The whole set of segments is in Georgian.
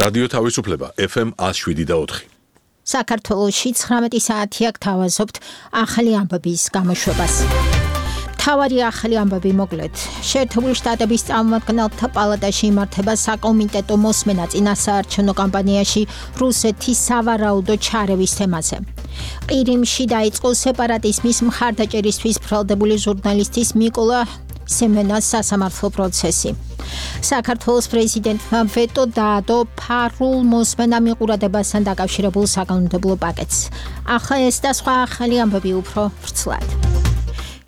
რადიო თავისუფლება FM 107.4. საქართველოში 19 საათი აქ თავაზობთ ახალი ამბების გამოშვებას. თავარი ახალი ამბები მოკლედ. შეერთებული შტატების წარმომადგენელთა პალატაში იმართება საკომიტეტო მოსმენა წინასაარჩევნო კამპანიაში რუსეთის სავარაუდო ჩარევის თემაზე. ყირიმში დაიწყო სეპარატიზმის მხარდაჭერისთვის ბრალდებული ჟურნალისტის მიკოლა სემენას სასამართლო პროცესი. საქართველოს პრეზიდენტმა ვეტო დაადო ფარულ მოსმენა მიყურებასთან დაკავშირებულ საკანონმდებლო პაკეტს. ახლა ეს და სხვა ახალი ამბები უფრო ვრცლად.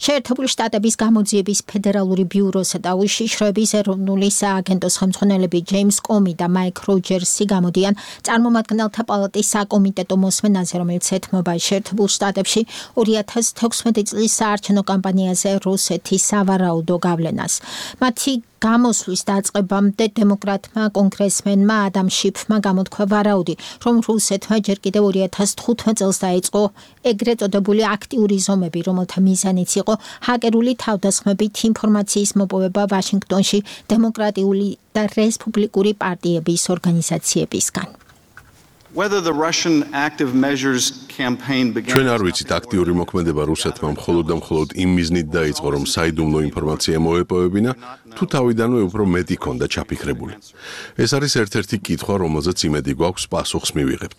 შეერთებული შტატების გამოძიების ფედერალური ბიუროსა და უშიშროების ეროვნული სააგენტოს ხელმძღვანელები ჯეიმს კომი და მაიკ როჯერსი გამოდიან წარმომადგენელთა პალატის საკომიტეტო მოსმენაზე, რომელიც ეთმობა შეერთებულ შტატებში 2016 წლის საარჩევნო კამპანიაზე რუსეთის სავარაუდო გავლენას. მათი გამოსვლის დაწყებამდე დემოკრატმა კონგრესმენმა ადამ შიფმა გამოთქვა ვარაუდი, რომ რუსეთმა ჯერ კიდევ 2015 წელს დაიწყო ეგრეთ წოდებული აქტიური ზომები, რომელთა მიზანიც იყო ჰაკერული თავდასხმებით ინფორმაციის მოპოვება ვაშინგტონში დემოკრატიული და რესპუბლიკური პარტიების ორგანიზაციებისგან. ჩვენ არ ვიცით აქტიური მოქმედება რუსეთმა მხოლოდ და მხოლოდ იმ მიზნით დაიწყო, რომ საიდუმლო ინფორმაცია მოეპოვებინა, თუ თავიდანვე უფრო მეტი ქონდა ჩაფიქრებული. ეს არის ერთ-ერთი კითხვა, რომელზეც იმედი გვაქვს პასუხს მივიღებთ.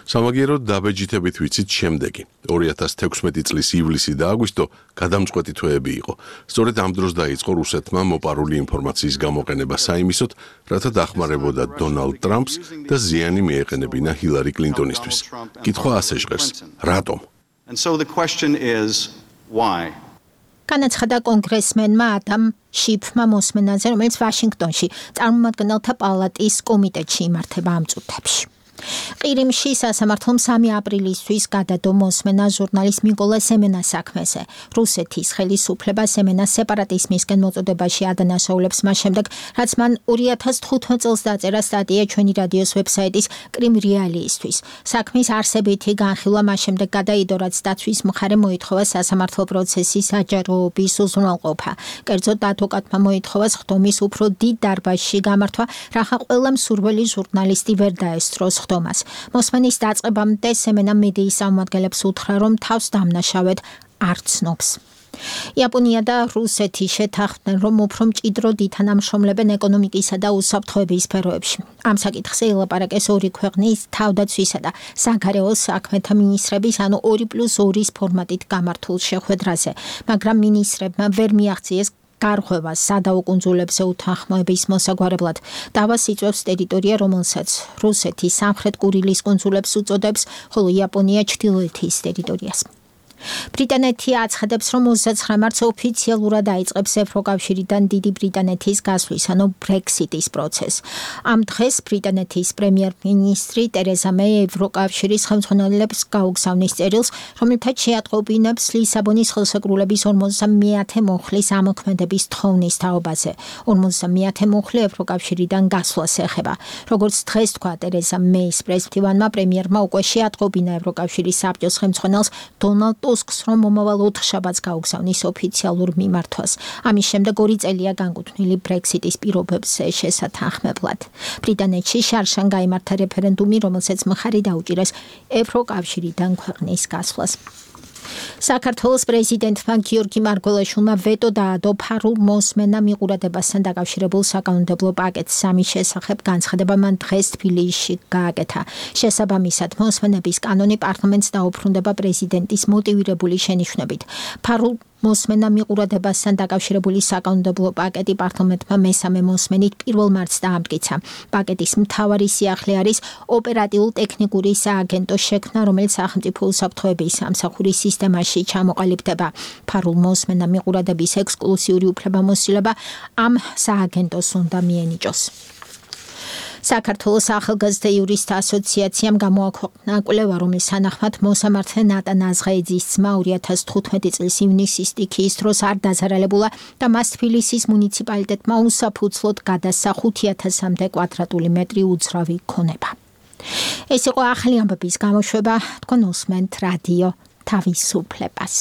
სამაგიეროდ დაბეჯითებით ვიცით შემდეგი. 2016 წლის ივლისი და აგვისტო გადამწყვეტი თვეები იყო. სწორედ ამ დროს დაიწყო რუსეთმა მოპარული ინფორმაციის გამოყენება საიმისოდ, რათა დახმარებოდა დონალდ ტრამპს და ზიანი მიეყენებინა ჰილარი კლინტონისთვის. კითხვა ასე ჟღერს: რატომ? განაცხადა კონგრესმენმა ადამ შიფმა მოსმენაზე, რომელიც ვაშინგტონში წარმომადგენელთა პალატის კომიტეტში იმართება ამ წუთებში. ყირიმში სასამართლომ 3 აპრილისთვის გადადო მოსმენა ჟურნალისტ მიკოლა სემენას საქმეზე. რუსეთის ხელისუფლება სემენას სეპარატიზმისკენ მოწოდებაში ადანაშაულებს მას შემდეგ, რაც მან 2015 წელს დაწერა სტატია ჩვენი რადიოს ვებსაიტის კრიმ რეალიისთვის. საქმის არსებითი განხილვა მას შემდეგ გადაიდო, რაც დაცვის მხარე მოითხოვა სასამართლო პროცესის აჯაროობის უზრუნველყოფა. კერძოდ ადვოკატმა მოითხოვა ხდომის უფრო დიდ დარბაზში გამართვა, რათა ყველა მსურველი ჟურნალისტი ვერ დაესწროს ხდომას. მოსმენის დაწყებამდე სემენა მედიის წარმომადგენლებს უთხრა, რომ თავს დამნაშავედ არ ცნობს. იაპონია და რუსეთი შეთანხმდნენ, რომ უფრო მჭიდროდ ითანამშრომლებენ ეკონომიკისა და უსაფრთხოების სფეროებში. ამ საკითხზე ელაპარაკეს ორი ქვეყნის თავდაცვისა და საგარეო საქმეთა მინისტრების, ანუ 2+2 ფორმატით გამართულ შეხვედრაზე, მაგრამ მინისტრებმა ვერ მიაღწიეს გარღვევას სადაო კუნძულებზე უთანხმოების მოსაგვარებლად. დავას იწვევს ტერიტორია, რომელსაც რუსეთი სამხრეთ კურილის კუნძულებს უწოდებს, ხოლო იაპონია ჩრდილოეთის ტერიტორიას. ბრიტანეთი აცხადებს, რომ 29 მარტს ოფიციალურად დაიწყებს ევროკავშირიდან დიდი ბრიტანეთის გასვლის, ანუ ბრექსიტის პროცესს. ამ დღეს ბრიტანეთის პრემიერ-მინისტრი ტერეზა მეი ევროკავშირის ხელმძღვანელებს გაუგზავნის წერილს, რომელთაც შეატყობინებს ლისაბონის ხელშეკრულების 50-ე მუხლის ამოქმედების თხოვნის თაობაზე. 50-ე მუხლი ევროკავშირიდან გასვლას ეხება. როგორც დღეს თქვა ტერეზა მეის პრესმტივანმა, პრემიერმა უკვე შეატყობინა ევროკავშირის საბჭოს ხელმძღვანელს დონალდ ტუსკს, რომ მომავალ 4 შაბათს გაუგზავნის ოფიციალურ მიმართვას. ამის შემდეგ 2 წელია განკუთვნილი ბრექსიტის პირობებზე შესათანხმებლად. ბრიტანეთში შარშან გაიმართა რეფერენდუმი, რომელსაც მხარი დაუჭირეს ევროკავშირიდან ქვეყნის გასვლას. საქართველოს პრეზიდენტმა გიორგი მარგველაშვილმა ვეტო დაადო ფარულ მოსმენა მიყურებასთან დაკავშირებულ საკანონმდებლო პაკეტს. ამის შესახებ განცხადება მან დღეს თბილისში გააკეთა. შესაბამისად, მოსმენების კანონი პარლამენტს დაუბრუნდება პრეზიდენტის მოტივირებული შენიშვნებით. ფარულ მოსმენა მიყურებასთან დაკავშირებული საკანონმდებლო პაკეტი პარლამენტმა მესამე მოსმენით 1 მარტს დაამტკიცა. პაკეტის მთავარი სიახლე არის ოპერატიულ-ტექნიკური სააგენტოს შექმნა, რომელიც სახელმწიფო უსაფრთხოების სამსახურის სისტემაში ჩამოყალიბდება. ფარულ მოსმენა მიყურების ექსკლუზიური უფლებამოსილება ამ სააგენტოს უნდა მიენიჭოს. საქართველოს ახალგაზრდა იურისტთა ასოციაციამ გამოაქვეყნა კვლევა, რომლის თანახმად მოსამართლე ნატან აზღაიძის ძმა 2015 წლის ივნისის სტიქიის დროს არ დაზარალებულა და მას თბილისის მუნიციპალიტეტმა უსაფუძვლოდ გადასცა 5000-მდე კვადრატული მეტრი უძრავი ქონება. ეს იყო ახალი ამბების გამოშვება, თქვენ უსმენთ რადიო თავისუფლებას.